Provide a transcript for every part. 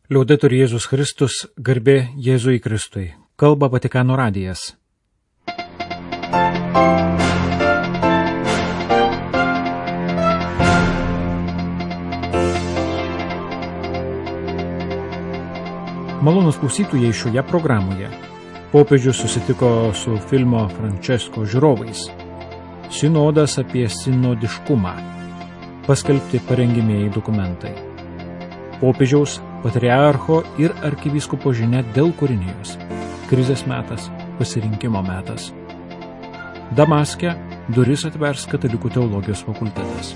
Liaudetur Jėzus Kristus, garbė Jėzui Kristui. Kalba Vatikano radijas. Malonūs klausytojai, šioje programoje popiežius susitiko su filmo Francesco žiūrovais. Sinodas apie sinodiškumą. Paskelbti parengimieji dokumentai. Popiežiaus, patriarcho ir arkivyskupo žinia dėl kūrinijos. Krizės metas, pasirinkimo metas. Damaske duris atvers Katalikų teologijos fakultetas.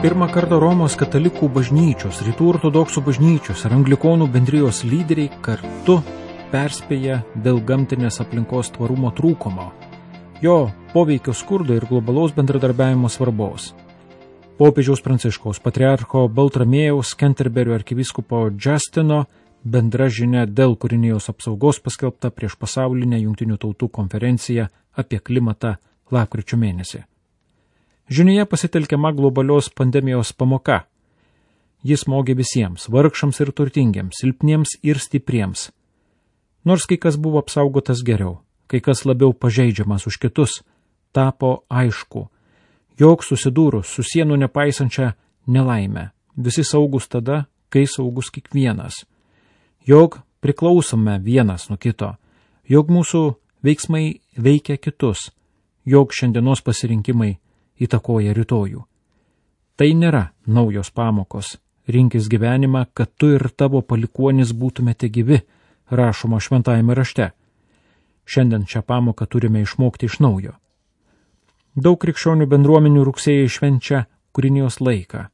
Pirmą kartą Romos katalikų bažnyčios, rytų ortodoksų bažnyčios ir anglikonų bendrijos lyderiai kartu perspėja dėl gamtinės aplinkos tvarumo trūkumo, jo poveikio skurdo ir globalaus bendradarbiavimo svarbos. Popiežiaus Pranciškaus, patriarcho Baltramiejaus, Kenterberio arkivyskupo Justino bendra žinia dėl kūrinijos apsaugos paskelbta prieš pasaulinę Jungtinių tautų konferenciją apie klimatą lapkričio mėnesį. Žinioje pasitelkiama globalios pandemijos pamoka. Jis smogė visiems, vargšams ir turtingiems, silpniems ir stipriems. Nors kai kas buvo apsaugotas geriau, kai kas labiau pažeidžiamas už kitus, tapo aišku, jog susidūrus su sienų nepaisančia nelaime, visi saugus tada, kai saugus kiekvienas, jog priklausome vienas nuo kito, jog mūsų veiksmai veikia kitus, jog šiandienos pasirinkimai įtakoja rytojų. Tai nėra naujos pamokos, rinkis gyvenimą, kad tu ir tavo palikuonis būtumėte gyvi, rašoma šventajame rašte. Šiandien šią pamoką turime išmokti iš naujo. Daug krikščionių bendruomenių rugsėjai švenčia kūrinijos laiką,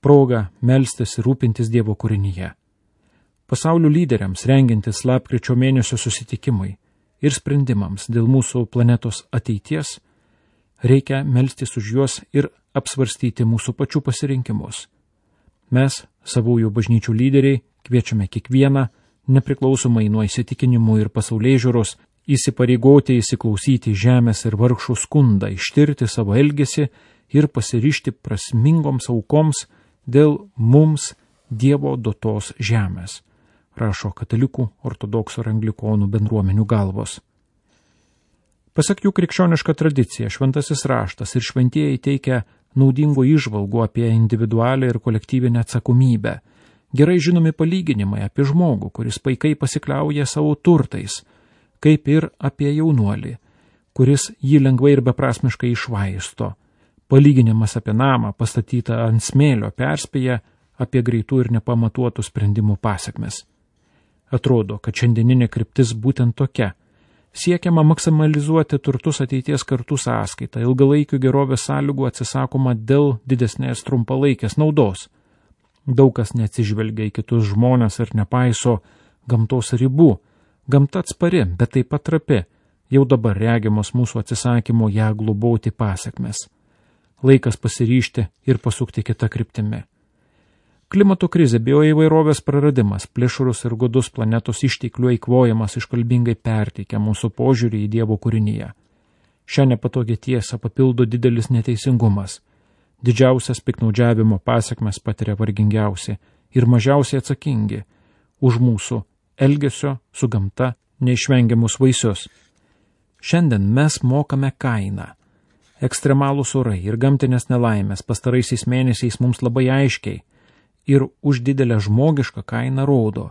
progą melstis ir rūpintis Dievo kūrinyje. Pasaulio lyderiams rengiantis lapkričio mėnesio susitikimui ir sprendimams dėl mūsų planetos ateities, reikia melstis už juos ir apsvarstyti mūsų pačių pasirinkimus. Mes, savųjų bažnyčių lyderiai, kviečiame kiekvieną, nepriklausomai nuo įsitikinimų ir pasaulėžiūros, įsipareigoti įsiklausyti žemės ir vargšų skundą, ištirti savo elgesį ir pasiryžti prasmingoms aukoms dėl mums Dievo duotos žemės, rašo katalikų, ortodoksų ir anglikonų bendruomenių galvos. Pasak jų krikščioniška tradicija, šventasis raštas ir šventieji teikia naudingų įžvalgų apie individualią ir kolektyvinę atsakomybę. Gerai žinomi palyginimai apie žmogų, kuris paikai pasikliauja savo turtais, kaip ir apie jaunuolį, kuris jį lengvai ir beprasmiškai išvaisto. Palyginimas apie namą pastatytą ant smėlio perspėja apie greitų ir nepamatuotų sprendimų pasekmes. Atrodo, kad šiandieninė kryptis būtent tokia. Siekiama maksimalizuoti turtus ateities kartų sąskaitą, ilgalaikių gerovės sąlygų atsisakoma dėl didesnės trumpalaikės naudos. Daug kas neatsižvelgia į kitus žmones ir nepaiso gamtos ribų. Gamta atspari, bet taip pat trapi, jau dabar regimos mūsų atsisakymo ją globoti pasekmes. Laikas pasiryžti ir pasukti kitą kryptimi. Klimato krizė, bioįvairovės praradimas, plėšrus ir godus planetos išteklių eikvojimas iškalbingai perteikia mūsų požiūrį į Dievo kūrinyje. Šią nepatogią tiesą papildo didelis neteisingumas. Didžiausias piktnaudžiavimo pasekmes patiria vargingiausi ir mažiausiai atsakingi už mūsų elgesio su gamta neišvengiamus vaisius. Šiandien mes mokame kainą. Ekstremalūs orai ir gamtinės nelaimės pastaraisiais mėnesiais mums labai aiškiai ir už didelę žmogišką kainą rodo,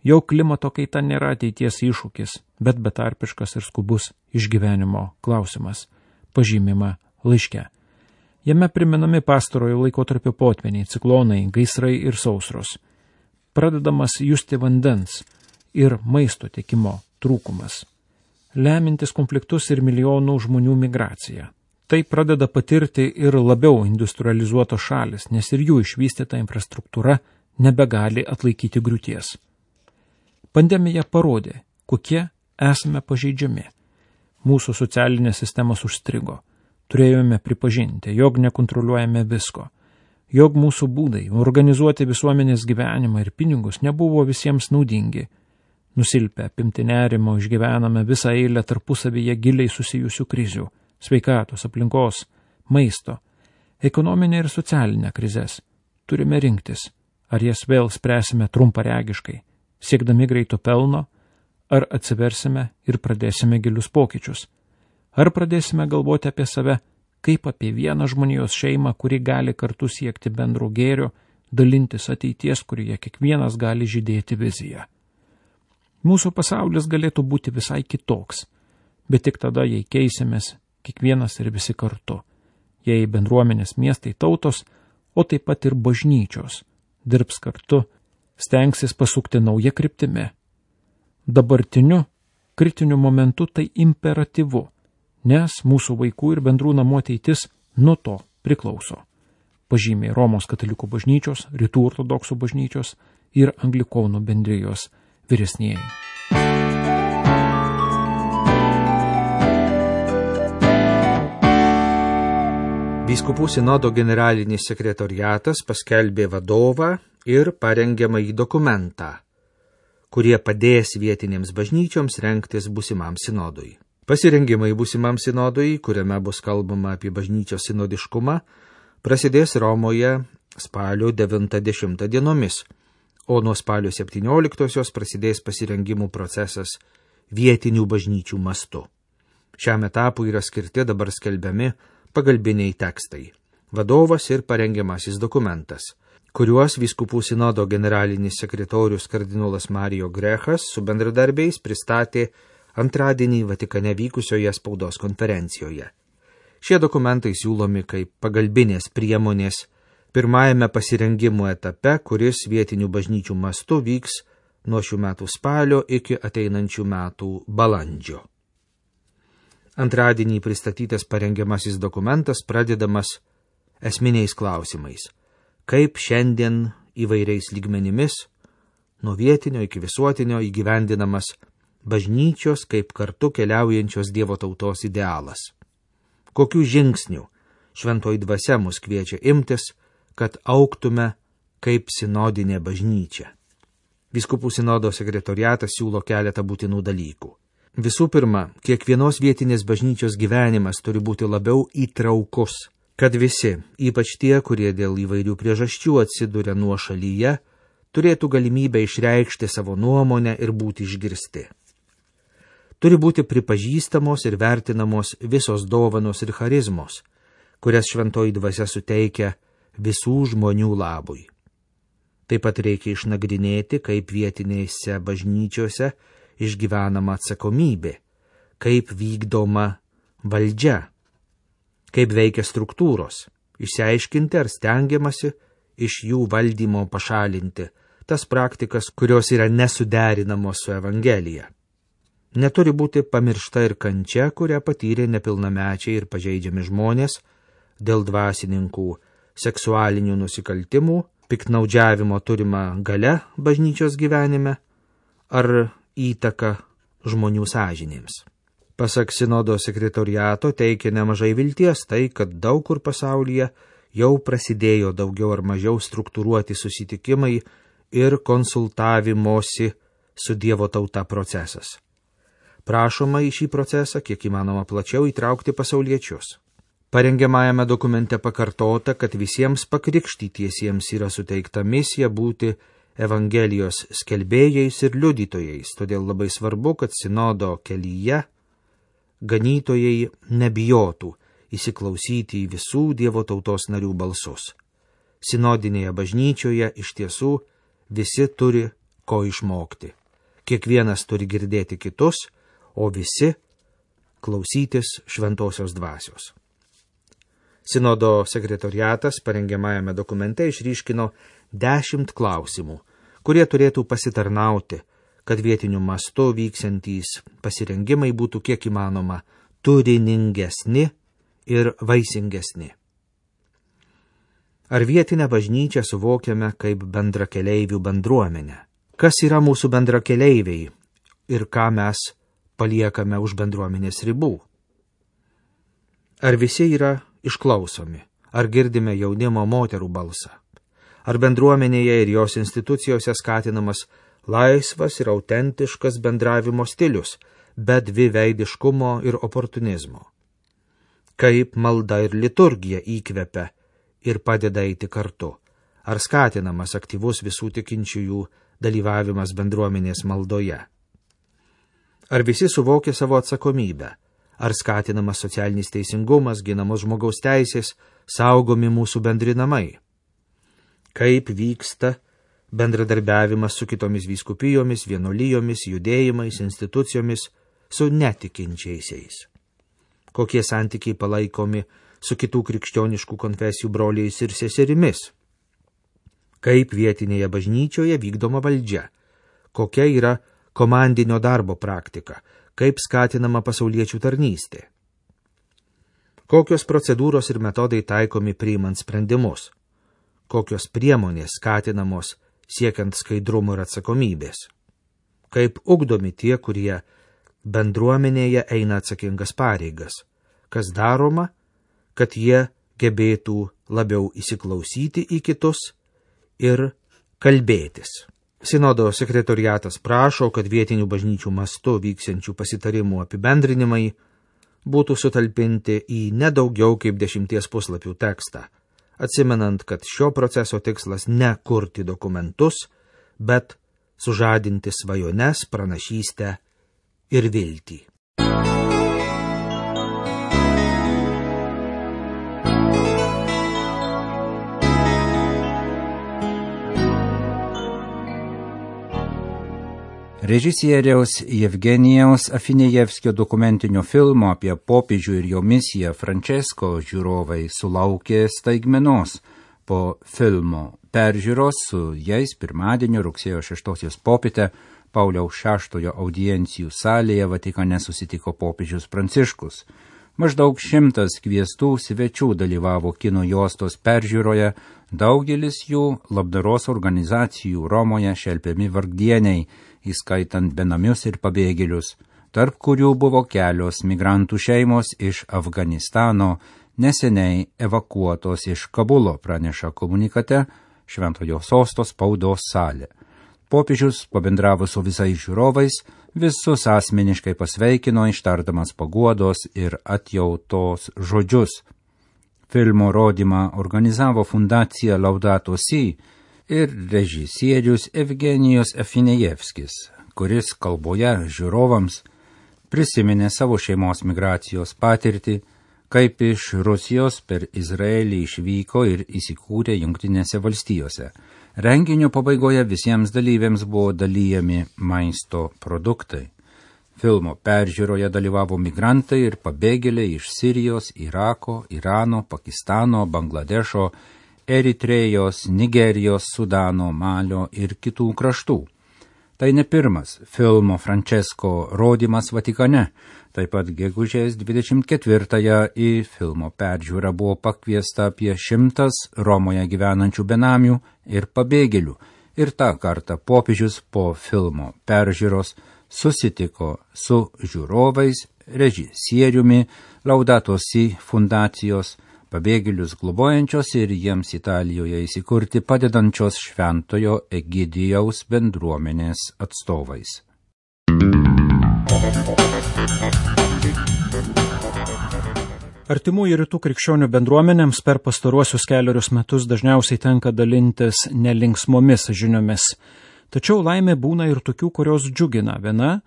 jog klimato kaita nėra ateities iššūkis, bet betarpiškas ir skubus išgyvenimo klausimas, pažymima laiške. Jame priminami pastarojo laikotarpio potvyniai, ciklonai, gaisrai ir sausros. Pradedamas justi vandens ir maisto tiekimo trūkumas, lemintis konfliktus ir milijonų žmonių migraciją. Tai pradeda patirti ir labiau industrializuotos šalis, nes ir jų išvystyta infrastruktūra nebegali atlaikyti griūties. Pandemija parodė, kokie esame pažeidžiami. Mūsų socialinės sistemos užstrigo. Turėjome pripažinti, jog nekontroliuojame visko, jog mūsų būdai organizuoti visuomenės gyvenimą ir pinigus nebuvo visiems naudingi. Nusilpę, apimti nerimo, išgyvename visą eilę tarpusavyje giliai susijusių krizių, sveikatos, aplinkos, maisto, ekonominę ir socialinę krizes. Turime rinktis, ar jas vėl spręsime trumparegiškai, siekdami greito pelno, ar atsiversime ir pradėsime gilius pokyčius. Ar pradėsime galvoti apie save, kaip apie vieną žmonijos šeimą, kuri gali kartu siekti bendro gėrio, dalintis ateities, kurioje kiekvienas gali žydėti viziją. Mūsų pasaulis galėtų būti visai kitoks, bet tik tada, jei keisimės kiekvienas ir visi kartu, jei bendruomenės, miestai, tautos, o taip pat ir bažnyčios, dirbs kartu, stengsis pasukti naują kryptimi. Dabartiniu, kritiniu momentu tai imperatyvu, nes mūsų vaikų ir bendrų namų ateitis nuo to priklauso. Pažymė Romos katalikų bažnyčios, Rytų ortodoksų bažnyčios ir Anglikonų bendrijos vyresnieji. Vyskupų sinodo generalinis sekretoriatas paskelbė vadovą ir parengiamąjį dokumentą, kurie padės vietinėms bažnyčioms rengtis būsimam sinodui. Pasirengimai būsimam sinodui, kuriame bus kalbama apie bažnyčios sinodiškumą, prasidės Romoje spalio 9-10 dienomis, o nuo spalio 17 prasidės pasirengimų procesas vietinių bažnyčių mastu. Šiam etapui yra skirti dabar skelbiami pagalbiniai tekstai, vadovas ir parengiamasis dokumentas, kuriuos vyskupų sinodo generalinis sekretorius kardinolas Mario Grechas su bendradarbiais pristatė antradienį Vatikane vykusioje spaudos konferencijoje. Šie dokumentai siūlomi kaip pagalbinės priemonės pirmajame pasirengimo etape, kuris vietinių bažnyčių mastu vyks nuo šių metų spalio iki ateinančių metų balandžio. Antradienį pristatytas parengiamasis dokumentas pradedamas esminiais klausimais, kaip šiandien įvairiais lygmenimis, nuo vietinio iki visuotinio įgyvendinamas bažnyčios kaip kartu keliaujančios Dievo tautos idealas. Kokių žingsnių šventoji dvasia mus kviečia imtis, kad augtume kaip sinodinė bažnyčia. Vyskupų sinodo sekretoriatas siūlo keletą būtinų dalykų. Visų pirma, kiekvienos vietinės bažnyčios gyvenimas turi būti labiau įtraukus, kad visi, ypač tie, kurie dėl įvairių priežasčių atsiduria nuošalyje, turėtų galimybę išreikšti savo nuomonę ir būti išgirsti. Turi būti pripažįstamos ir vertinamos visos dovanos ir charizmos, kurias šventoji dvasia suteikia visų žmonių labui. Taip pat reikia išnagrinėti, kaip vietinėse bažnyčiose išgyvenama atsakomybė, kaip vykdoma valdžia, kaip veikia struktūros, išsiaiškinti ar stengiamasi iš jų valdymo pašalinti tas praktikas, kurios yra nesuderinamos su Evangelija. Neturi būti pamiršta ir kančia, kurią patyrė nepilnamečiai ir pažeidžiami žmonės dėl dvasininkų seksualinių nusikaltimų, piktnaudžiavimo turima galia bažnyčios gyvenime ar įtaka žmonių sąžinėms. Pasak sinodo sekretoriato teikia nemažai vilties tai, kad daug kur pasaulyje jau prasidėjo daugiau ar mažiau struktūruoti susitikimai ir konsultavimosi su Dievo tauta procesas. Prašoma į šį procesą kiek įmanoma plačiau įtraukti pasauliečius. Parengiamajame dokumente pakartota, kad visiems pakrikštytiesiems yra suteikta misija būti Evangelijos skelbėjais ir liudytojais, todėl labai svarbu, kad sinodo kelyje ganytojai nebijotų įsiklausyti į visų Dievo tautos narių balsus. Sinodinėje bažnyčioje iš tiesų visi turi ko išmokti. Kiekvienas turi girdėti kitus, o visi klausytis šventosios dvasios. Sinodo sekretoriatas parengiamajame dokumente išryškino 10 klausimų, kurie turėtų pasitarnauti, kad vietiniu mastu vyksiantys pasirengimai būtų kiek įmanoma turiningesni ir vaisingesni. Ar vietinę bažnyčią suvokiame kaip bendrakeleivių bendruomenę? Kas yra mūsų bendrakeleiviai ir ką mes paliekame už bendruomenės ribų? Ar visi yra išklausomi? Ar girdime jaunimo moterų balsą? Ar bendruomenėje ir jos institucijose skatinamas laisvas ir autentiškas bendravimo stilius, be dviveidiškumo ir oportunizmo? kaip malda ir liturgija įkvepia ir padeda eiti kartu, ar skatinamas aktyvus visų tikinčiųjų dalyvavimas bendruomenės maldoje. Ar visi suvokia savo atsakomybę, ar skatinamas socialinis teisingumas, ginamos žmogaus teisės, saugomi mūsų bendri namai. Kaip vyksta bendradarbiavimas su kitomis vyskupijomis, vienuolijomis, judėjimais, institucijomis, su netikinčiaisiais. Kokie santykiai palaikomi su kitų krikščioniškų konfesijų broliais ir seserimis. Kaip vietinėje bažnyčioje vykdoma valdžia. Kokia yra komandinio darbo praktika. Kaip skatinama pasauliečių tarnystė. Kokios procedūros ir metodai taikomi priimant sprendimus. Kokios priemonės skatinamos siekiant skaidrumo ir atsakomybės. Kaip ugdomi tie, kurie bendruomenėje eina atsakingas pareigas. Kas daroma, kad jie gebėtų labiau įsiklausyti į kitus ir kalbėtis. Sinodo sekretoriatas prašo, kad vietinių bažnyčių mastu vyksiančių pasitarimų apibendrinimai būtų sutalpinti į nedaugiau kaip 10 puslapių tekstą, atsimenant, kad šio proceso tikslas ne kurti dokumentus, bet sužadinti svajones, pranašystę ir viltį. Režisieriaus Jevgenijaus Afinejevskio dokumentinio filmo apie popiežių ir jo misiją Francesco žiūrovai sulaukė staigmenos. Po filmo peržiūros su jais pirmadienio rugsėjo 6 popietę Pauliaus VI audiencijų salėje Vatikane susitiko popiežius Pranciškus. Maždaug 100 kviestų svečių dalyvavo kino juostos peržiūroje, daugelis jų labdaros organizacijų Romoje šelpiami vargdieniai, įskaitant benamius ir pabėgėlius, tarp kurių buvo kelios migrantų šeimos iš Afganistano, neseniai evakuotos iš Kabulo, praneša komunikate Šventojo Sosto spaudos salė. Popiežius pabendravo su visais žiūrovais, visus asmeniškai pasveikino, ištardamas paguodos ir atjautos žodžius. Filmo rodymą organizavo fundacija Laudato Si ir režisierius Evgenijus Afinejevskis, kuris kalboje žiūrovams prisiminė savo šeimos migracijos patirtį, kaip iš Rusijos per Izraelį išvyko ir įsikūrė Jungtinėse valstijose. Renginio pabaigoje visiems dalyviams buvo dalijami maisto produktai. Filmo peržiūroje dalyvavo migrantai ir pabėgėliai iš Sirijos, Irako, Irano, Pakistano, Bangladešo, Eritrėjos, Nigerijos, Sudano, Malio ir kitų kraštų. Tai ne pirmas filmo Francesco rodymas Vatikane. Taip pat gegužės 24-ąją į filmo peržiūrą buvo pakviesta apie 100 Romoje gyvenančių benamių ir pabėgėlių. Ir tą kartą popiežius po filmo peržiūros susitiko su žiūrovais, režisieriumi, Laudato Si fundacijos, pabėgėlius globojančios ir jiems Italijoje įsikurti padedančios Šventojo Egidijaus bendruomenės atstovais. Artimųjų rytų krikščionių bendruomenėms per pastaruosius 4 metus dažniausiai tenka dalintis nelinksmomis žiniomis. Tačiau laimė būna ir tokių, kurios džiugina. Viena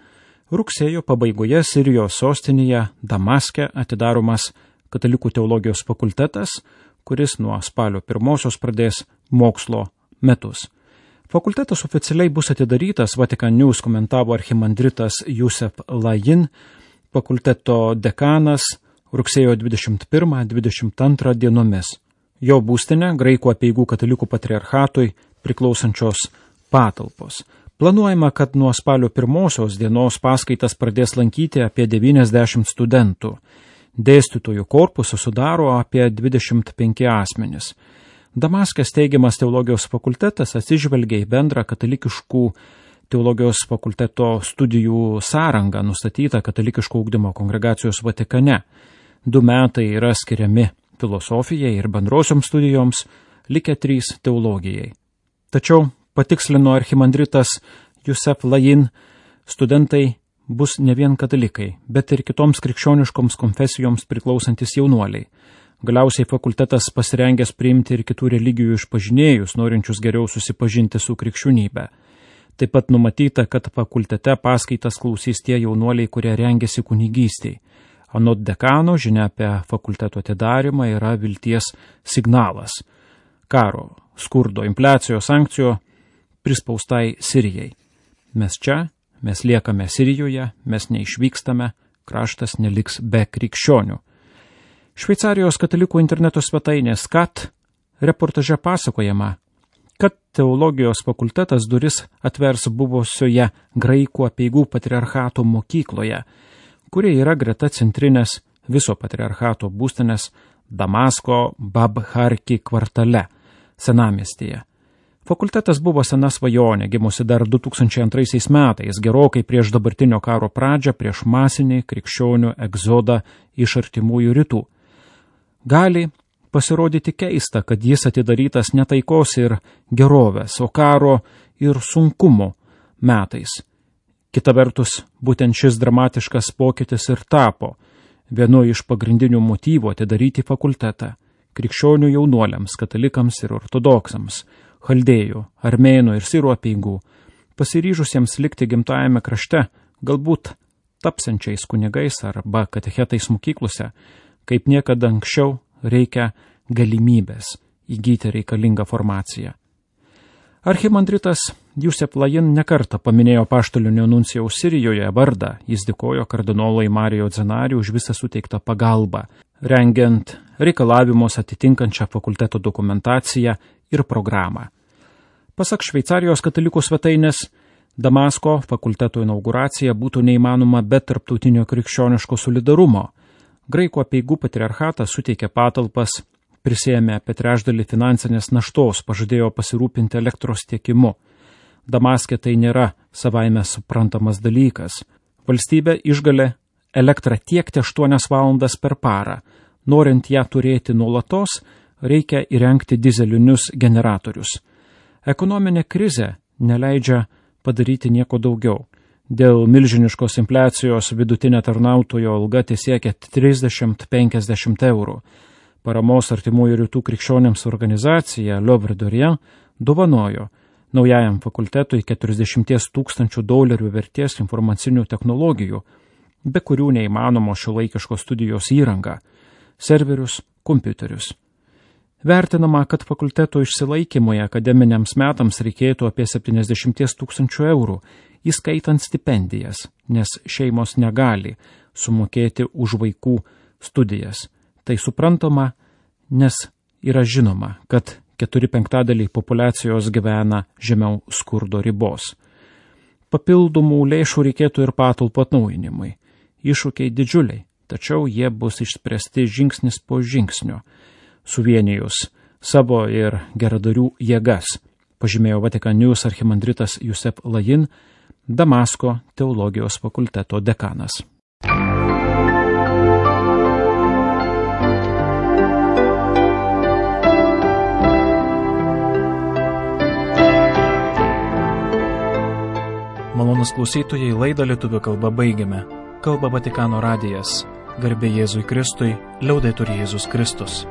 rugsėjo pabaigoje Sirijos sostinėje Damaske atidaromas Katalikų teologijos fakultetas, kuris nuo spalio 1 pradės mokslo metus. Fakultetas oficialiai bus atidarytas, Vatican News komentavo archimandritas Jusef Lajin, fakulteto dekanas, rugsėjo 21-22 dienomis. Jo būstinė Graikų apeigų katalikų patriarchatui priklausančios patalpos. Planuojama, kad nuo spalio 1 dienos paskaitas pradės lankyti apie 90 studentų. Dėstytojų korpusą sudaro apie 25 asmenis. Damaske steigiamas teologijos fakultetas atsižvelgia į bendrą katalikiškų teologijos fakulteto studijų sąrangą nustatytą katalikiško ugdymo kongregacijos Vatikane. 2 metai yra skiriami filosofijai ir bendrosioms studijoms, likę 3 teologijai. Tačiau, patikslino archimandritas Jusef Lajin, studentai bus ne vien katalikai, bet ir kitoms krikščioniškoms konfesijoms priklausantis jaunuoliai. Galiausiai fakultetas pasirengęs priimti ir kitų religijų išpažinėjus, norinčius geriau susipažinti su krikščionybė. Taip pat numatyta, kad fakultete paskaitas klausys tie jaunuoliai, kurie rengiasi kunigystei. Anot dekano, žinia apie fakulteto atidarimą yra vilties signalas. Karo, skurdo, infliacijos, sankcijų prispaustai Sirijai. Mes liekame Sirijoje, mes neišvykstame, kraštas neliks be krikščionių. Šveicarijos katalikų interneto svetainės KAT reportaže pasakojama, kad teologijos fakultetas duris atvers buvusioje Graikų apeigų patriarchato mokykloje, kurie yra greta centrinės viso patriarchato būstinės Damasko Babharki kvartale, senamiestyje. Fakultetas buvo sena svajonė, gimusi dar 2002 metais, gerokai prieš dabartinio karo pradžią, prieš masinį krikščionių egzodą iš artimųjų rytų. Gali pasirodyti keista, kad jis atidarytas ne taikos ir gerovės, o karo ir sunkumo metais. Kita vertus, būtent šis dramatiškas pokytis ir tapo vienu iš pagrindinių motyvų atidaryti fakultetą krikščionių jaunuoliams, katalikams ir ortodoksams, chaldėjų, armėnų ir sirų apeigų, pasiryžusiems likti gimtajame krašte, galbūt tapsiančiais kunigais arba katechetais mokyklose, kaip niekada anksčiau reikia galimybės įgyti reikalingą formaciją. Archimandritas Jusef Lajin nekartą paminėjo apaštalinio nuncijaus Sirijoje vardą, jis dėkojo kardinolui Mario Zenari už visą suteiktą pagalbą, rengiant reikalavimus atitinkančią fakulteto dokumentaciją ir programą. Pasak Šveicarijos katalikų svetainės, Damasko fakulteto inauguracija būtų neįmanoma be tarptautinio krikščioniško solidarumo. Graikų apeigų patriarchatas suteikė patalpas, prisėmė apie trečdalį finansinės naštos, pažadėjo pasirūpinti elektros tiekimu. Damaske tai nėra savaime suprantamas dalykas. Valstybė išgali elektrą tiekti 8 valandas per parą. Norint ją turėti nuolatos, reikia įrengti dizelinius generatorius. Ekonominė krizė neleidžia padaryti nieko daugiau. Dėl milžiniškos infliacijos vidutinė tarnautojo alga tesiekia 30-50 eurų. Paramos artimųjų rytų krikščionėms organizacija L'Œuvre d'Orient dovanojo naujajam fakultetui $40 000 vertės informacinių technologijų, be kurių neįmanomo šiuolaikiškos studijos įranga, serverius, kompiuterius. Vertinama, kad fakulteto išsilaikymui akademiniams metams reikėtų apie 70 000 eurų, įskaitant stipendijas, nes šeimos negali sumokėti už vaikų studijas. Tai suprantama, nes yra žinoma, kad 4/5 populiacijos gyvena žemiau skurdo ribos. Papildomų lėšų reikėtų ir patalpų atnaujinimui. Iššūkiai didžiuliai, tačiau jie bus išspręsti žingsnis po žingsnio, suvienijus savo ir geradarių jėgas, pažymėjo Vatican News archimandritas Jusef Lajin, Damasko teologijos fakulteto dekanas. Malonus klausytojai, laidą lietuvių kalba baigiame. Kalba Vatikano radijas. Garbė Jėzui Kristui, liaudetur Jėzus Kristus.